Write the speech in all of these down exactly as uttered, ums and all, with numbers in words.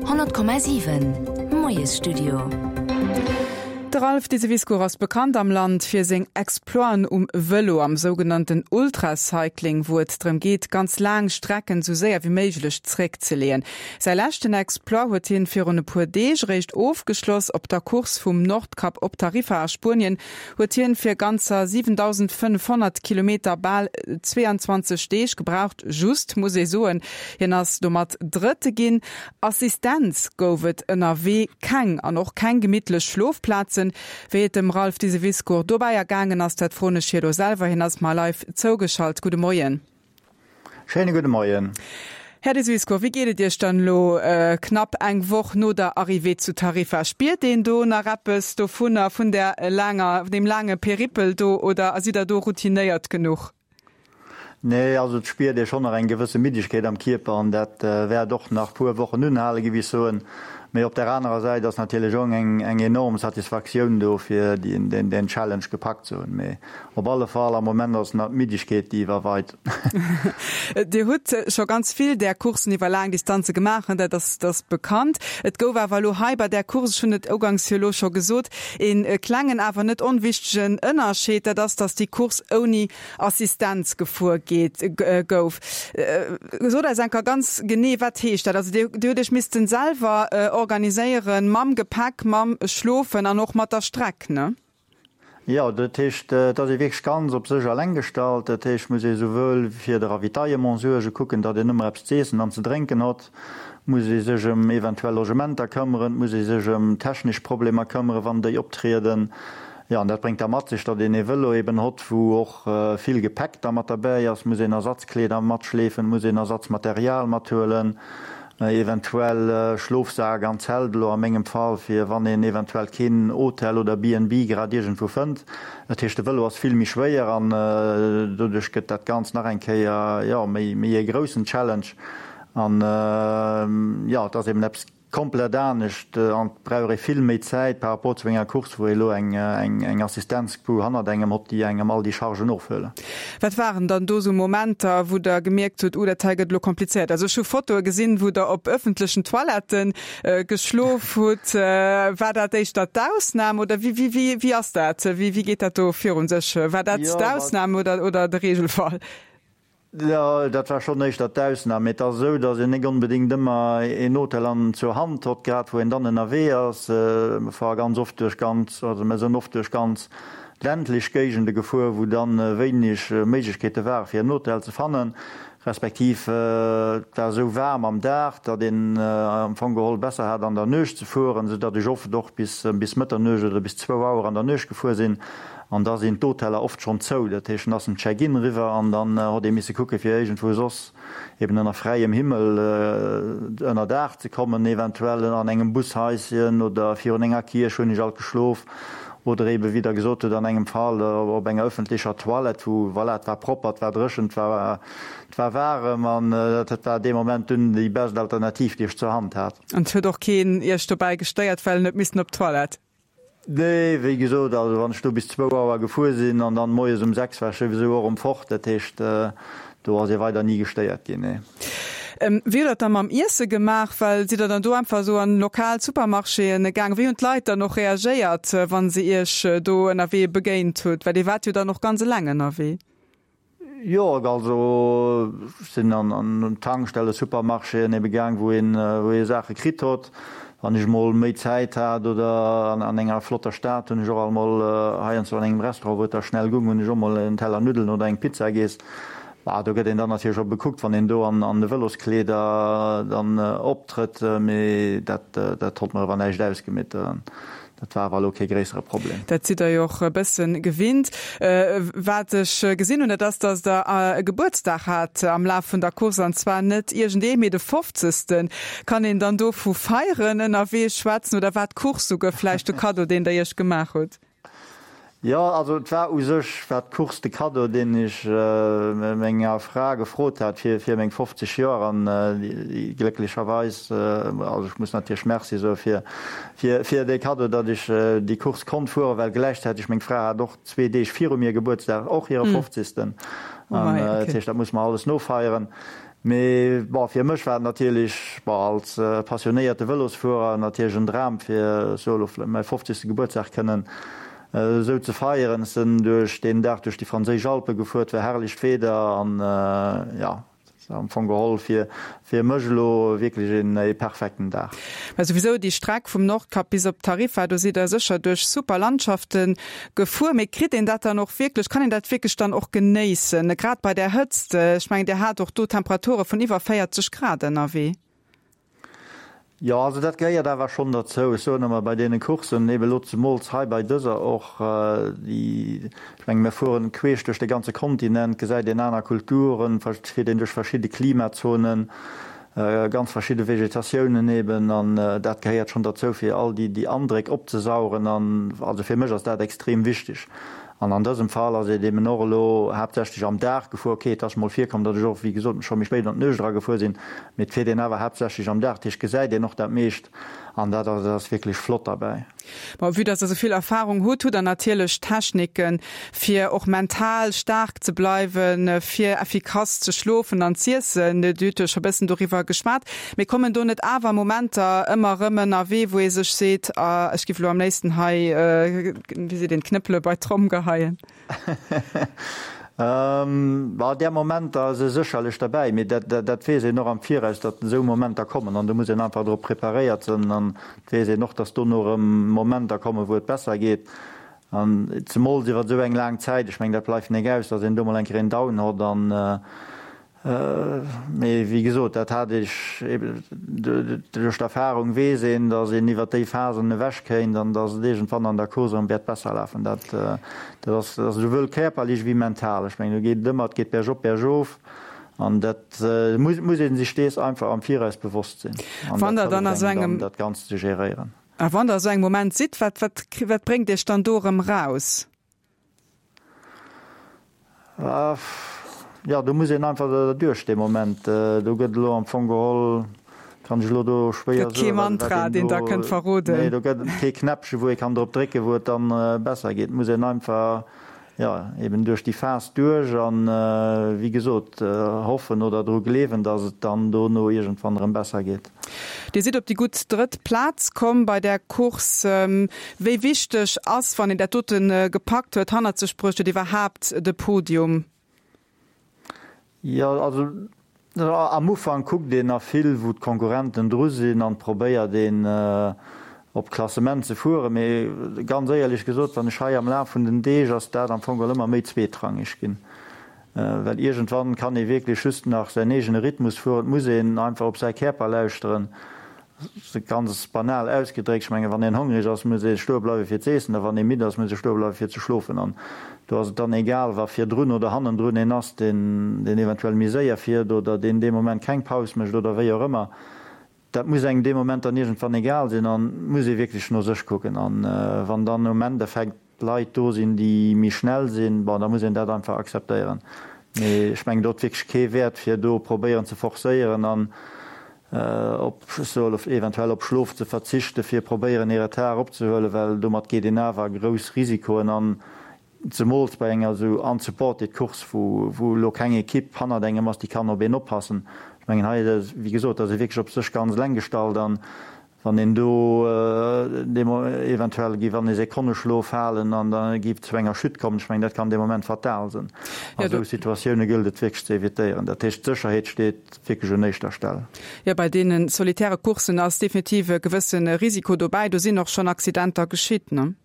Honnert Komma siwen, Moiesstudio. De Ralph Diseviscourt ass bekannt am Land fir seng Exploiten um Vëlo, am sougenannten Ultracycling, wou et drëm geet, ganz laang Strecken sou séier wéi méiglech zréckzeleeën. Säi leschten Exploit huet hien virun e puer Deeg eréischt ofgeschloss. Op der Course vum Nordkap op Tarifa a Spuenien huet hien fir ganzer siwendausendfënnefhonnert Kilometer bal zweeanzwanzeg Deeg gebraucht, just, muss ee soen, hien ass domat Drëtte ginn. Assistenz gouf et ënnerwee keng an och keng gemittlech Schlofplazen. Wéi et dem Ralph Diseviscourt dobäi ergaangen ass, dat froen ech hie lo selwer. Hien ass mar live zougeschalt. Gudde Moien. Schéine gudde Moien. Här Diseviscourt, wéi geet et Iech dann elo knapp eng Woch no der Arrivée zu Tarifa? Spiert een do nach eppes dovunner, vun där laanger, deem laange Peripel do, oder sidd Der do routinéiert genuch? Nee, also et spiert ee schonn nach eng gewësse Middegkeet am Kierper an dat wäert och nach puer Wochen unhalen, géif ech soen. Mee op där anerer Säit ass natierlech och eng eng enorm Satisfaktioun do, fir deen Challenge gepackt ze hunn. Mee op alle Fall, am Moment ass nach d'Middegkeet, déi iwwerweit. Dir hutt scho ganz vill där Courssen iwwer laang Distanze gemaach, dat ass dat ass bekannt. Et gouf awer elo hei bei där Course, ech hunn et uganks jo elo scho gesot, ee klengen, awer net onwichtegen Ënnerscheed, dat ass, datt déi Course ouni Assistenz gefuer geet, gouf. Sot eis enker ganz genee, wat heescht dat? Also Dir, Dir hutt Iech missten selwer organiséieren mam Gepäck, mam Schlofen an och mat der Streck, ne? Jo, dat heescht, et ass ee wierklech ganz op sech eleng gestallt. Dat heescht, et muss ee souwuel fir de Ravitaillement suergen, kucken, datt een ëmmer eppes z'iessen an ze drénken hott, muss ee sech ëm eventuell Logementer këmmeren, et muss ee sech ëm technesch Problemer këmmeren, wann déi optrieden. Jo, an dat bréngt da mat sech, datt een ee Vëlo eben hott, wou och vill Gepäck da mat derbäi ass, muss een Ersatzkleeder matschleefen, muss een Ersatzmaterial mathuelen, eventuell Schlofsak an Zelt, elo a mengem Fall, fir wann een eventuell keen Hotel oder B and B grad iergendwou fënnt. Dat heescht, de Vëlo ass vill méi schwéier an doduerch gëtt dat Ganzt nach eng Kéier, jo, méi méi ee groussen Challenge. An, jo, et ass eben eppes komplett anescht an et brauch ee vill méi Zäit par rapport zu enger Course, wou ee elo eng eng Assistenzcrew hannert engem hott, déi engem all déi Chargen ofhuelen. Wat waren dann do sou Momenter, wou Der gemierkt hutt, Uh, dat hei gëtt elo komplizéiert? Also ech hu Fotoe gesinn, wou Der op ëffentlechen Toiletten geschlof hutt. War dat éischter d'Ausnam oder wéi wéi wéi ass dat? Wéi wéi geet dat do virun sech? War dat d'Ausnam oder oder de Regelfall? Jo, dat war schonn éischter d'Ausnam. Mee et ass esou, datt een nik onbedéngt ëmmer een Hotel an zur Hand hott, grad wou een dann ënnerwee ass. Mer fare ganz oft duerch ganz, also mer sënn oft duerch ganz ländlech Géigende gefuer, wou dann wéineg Méiglechkeete ware fir en Hotel ze fannen, respektiv et war esou waarm am Dag, datt een am Fong geholl besser hat an der Nuecht ze fueren, esou datt ech oft och bis bis Mëtternuecht oder bis zwou Auer an der Nuecht gefuer sinn. An da sinn d'Hoteller oft schonn zou. Dat heescht, dann ass den Check-in eriwwer an dann hott ee misse kucke fir iergendwou soss eben ënner fräiem Himmel ënner Daach ze kommen, eventuell an engem Bushaischen oder virun enger Kierch hunn ech alt geschlof oder eben, wéi Der gesot hutt, an engem Fall op enger ëffentlecher Toilette, wou, voilà, et war propper, et war dréchen, et war, et war waarem an dat war dee Moment dunn déi best Alternativ, déi ech zur Hand hat. An et huet och keen Iech dobäi gestéiert, well en huet missen op d'Toilette? Nee, wéi gesot, also wann ech do bis zwou Auer gefuer sinn an dann moies um sechs war ech souwisou och erëm fort, dat heescht, do ass ee weider ni gestéiert ginn, nee. Wéi hutt Der et da mam Iesse gemaach? Well sidd Der dann do einfach esou an lokal Supermarchéen gaangen? Wéi hunn d'Leit dann och reagéiert, wa se Iech do ënnerwee begéint hutt? Well Dir waart jo dann och ganz eleng ënnerwee. Jo, also ech sinn an Tankstellen, Supermarchéen ebe gaang, wou een wou ee Saache kritt hott. Wann ech mol méi Zäit hat oder an enger flotter Stad, hunn ech och alt mol heiansdo an engem Restaurant, wou et da schnell gung, hunn ech och mol en Teller Nuddelen oder eng Pizza giess. Bah, do gëtt een dann natierlech och bekuckt, wann een do an de Vëloskleeder dann optrëtt, mee dat dat hott mer awer näischt ausgemeet. Dat war awer elo kee gréissere Problem. Dat sidd Der jo och e bësse gewinnt. Wat ech gesinn hunn, dat ass, datt Der e Gebuertsdag hat am Laf vun der Course, an zwar net iergendee, mee de fofzegsten. Kann een dann do vu Feieren ënnerwee schwätzen oder war d'Course souguer vläicht de Kaddo, deen Der Iech gemaach hutt? Jo, also et war u sech war d'Course de Kaddo, deen ech menger Fra gefrot hat fir fir meng fofzeg Joer an déi glécklecherweis, also ech muss natierlech Merci soe fir fir fir dee Kaddo, datt ech déi Course konnt fueren, well gläichzäiteg meng Fra hat och zwee Deeg viru mir Gebuertsdag, och hire fofzegsten. An dat heescht, dat musse mer alles nofeieren. Mee bon, fir mech war et natierlech, bon, als passionéierte Vëlosfuerer natierlech en Dram fir esou elo mäi fofzegste Gebuertsdag kënnen esou ze feieren. Ech sinn duerch deen Dag duerch déi franséisch Alpe gefuer, et war herrlecht Wieder an jo, am Fong geholl fir fir mech elo wierklech een ee perfekten Dag. Mä souwisou déi Streck vum Nordkap bis op Tarifa, do sidd der sécher duerch super Landschafte gefuer. Mee kritt een dat dann och wierklech, kann een dat wierklech dann och genéissen, grad bei där Hëtzt? Ech mengen Dir hat och do Temperature vun iwwer véierzeg Grad ënnerwee. Jo, also dat gehéiert awer schonn derzou. Ech soen ëmmer bei deene Courssen, eben elo zemools hei bei dëser och, déi, ech menge mir fueren queesch duerch de ganze Kontinent, gesäit een aner Kulturen, fiert een duerch verschidde Klimazonen, ganz verschidde Vegetatiounen eben, an dat gehéiert schonn derzou, fir all déi, déi Andréck opzesaugen. An also fir mech ass dat extrem wichteg. An an dësem Fall ass et eben och elo haaptsächlech am Dag gefuer. Ok, et ass mol virkomm, datt ech och, wéi gesot, scho méi spéit an d'Nuecht era gefuer sinn, mee et fiert een awer haaptsächlech am Dag, dat heescht, gesäit een och dat meescht an dat ass wierklech flott derbäi. Bon, vue dass Der esou vill Erfahrung hutt, hutt Der natierlech Techniken, fir och mental staark ze bleiwen, fir effikass ze schlofen an z'iessen. Dir hutt jo scho bëssen doriwwer geschwat. Mee kommen do net awer Momenter ëmmer erëm ënnerwee, wou ee sech seet, ah, ech giff elo am léifsten hei, wéi seet een, d'Knëppele bei d'Tromm geheien? Bah, där Momenter si sécherlech derbäi, mee dat, dat weess een och am Viraus, datt esou Momenter kommen an do muss een einfach drop preparéiert sinn an et weess een och, datt dono erëm Momenter kommen, wou et besser geet an zemools iwwer esou eng laang Zäit, ech mengen, dat bleift nek aus, datt een do mol eng Kéier een Down hott an, Mee wéi gesot, dat hat ech eben, duerch d'Erfahrung weess een, datt een iwwer déi Phasen ewech kéint an datt et iergendwann an der Course erëm wäert besser lafen. Dat ass esouwuel kierperlech wéi mental. Ech mengen, do geet et ëmmer, et geet bergop, bergof an dat muss ee sech dees einfach am Viraus bewosst sinn an dat hëlleft engem dann, dat Ganzt ze geréieren. A wann Der a sou engem Moment sidd, wat, wat, wat bréngt Iech dann do erëm raus? Jo, do muss een einfach derduerch dee Moment. Do gëtt elo am Fong geholl, kann ech elo do schwéier Gëtt kee soen, wat Mantra, een deen Der do, kënnt verroden? Nee, do gëtt et kee Knäppche wou ee kann drop drécken, wou et dann besser geet. Et muss een einfach, jo, eben duerch déi Phas duerch an, wéi gesot, hoffen oder dru gleewen, datt et dann dono iergendwann erëm besser geet. Dir sidd op déi gutt drëtt Plaz komm bei där Course. Wéi wichteg ass, wann een dat dote gepackt huet, hannert sech bruecht huet, iwwerhaapt de Podium? Jo, also am Ufank kuckt een nach vill, wou d'Konkurrenten dru sinn an probéiert een op d'Klassement ze fueren. Mee ganz éierlech gesot, wann ech hei am Laf vun den Deeg ass dat am Fong geholl ëmmer méi zweetrangeg ginn. Well iergendwann kann ee wierklech just nach säin eegene Rhythmus fueren. Et muss een einfach op säi Kierper lauschteren. Ganz banal ausgedréckt, ech mengen, wann een hongreg ass, muss ee stoe bleiwe fir z'eessen, a wann ee midd ass, muss ee stoe bleiwe fir ze schlofen. An do ass et dann egal, wa virdrun oder hannendrun een ass, deen deen eventuell méi séier fiert oder deen dee Moment keng Paus mécht oder wéi och ëmmer. Dat muss engem dee Moment dann iergendwann egal sinn an muss ee wierklech no sech kucken. An wann dann um Endeffekt Leit do sinn, déi méi schnell sinn, bon, da muss een dat einfach akzeptéieren. Mee ech mengen, do huet wierklech kee Wäert, fir do probéieren ze forcéieren an op, ech soe eventuell op Schlof ze verzichten, fir probéieren ee Retard opzehuelen, well domat geet een awer grouss Risikoen an, zemools bei enger esou unsupported Course, wou wou elo keng Ekipp hannert engem ass, déi kann op een oppassen. Ech mengen, hei, wéi gesot, ass ee wierklech op sech ganz eleng gestallt an Wann een do eventuell géif an ee Sekonneschlof falen an da géif et zu enger Chute kommen, ech mengen, dat kann dee Moment fatal sinn. A sou Situatioune gëllt et wierklech ze evitéieren. Dat heescht, d'Sécherheet steet wierklech un éischter Stell. Jo, bei deene solitäre Courssen ass definitiv e gewësse Risiko dobäi. Do sinn och schonn Accidenter geschitt, ne?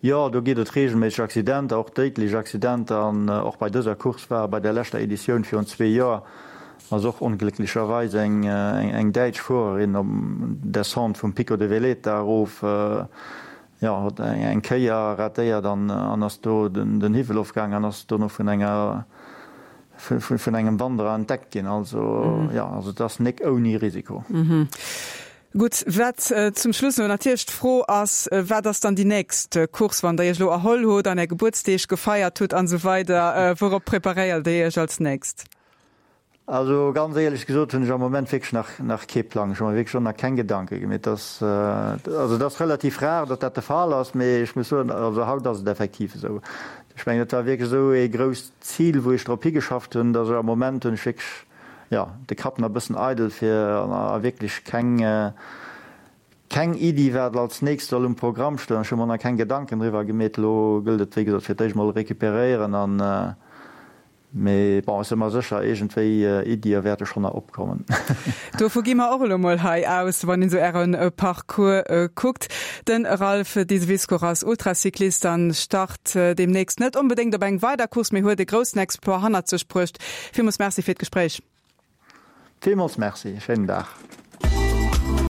Jo, do geet et reegelméisseg Accidenter, och déidlech Accidenter. An och bei dëser Course war bei der leschter Editioun virun zwee Joer ass och onglécklecherweis eng eng däitsch Fuererin op Descente vum Pico de Veleta erof, jo, huet eng Kéier ratéiert an an ass do den Hiwwel ofgaang an ass dono vun enger vun engem Wanderer entdeckt ginn. Also jo, also et ass nek ouni Risiko. Gutt, wat zum Schluss elo natierlech d'Fro ass, Wat ass dann déi nächst Course, wann Der Iech elo erholl hutt an Är Gebuertsdeeg gefeiert hutt an esou weider? Wourop preparéiert Dir Iech als nächst? Also ganz éierlech gesot hunn ech am Moment wierklech nach nach kee Plang. Ech hu mer wierklech och nach keng Gedanke gemeet. Et ass also et ass relativ rar, datt dat de Fall ass, mee ech muss soen, also haut ass et effektiv esou. Ech mengen, et war wierklech esou ee grousst Zil, wou ech drop higeschafft hunn, datt ech am Moment hunn ech wierklech jo, de Kapp nach e bëssen eidel fir a wierklech keng, keng Iddi wat als nächst soll um Programm stoen. Ech hu mer nach keng Gedanken driwwer gemeet. Elo gëllt et wéi gesot fir d'éischt mol recuperéieren an, mee bon, ech si mer sécher, iergendwéi Iddie wäerte schonn nach opkommen. Dovu gi mer och elo mol hei aus, wann een esou Äre Parcours kuckt. De Ralph Diseviscourt ass Ultracyclist an start deemnächst net onbedéngt op eng weider Course, mee huet e groussen Exploit hannert sech bruecht. Villmools Merci fir d'Gespréich. Villmools Merci, schéinen Dag.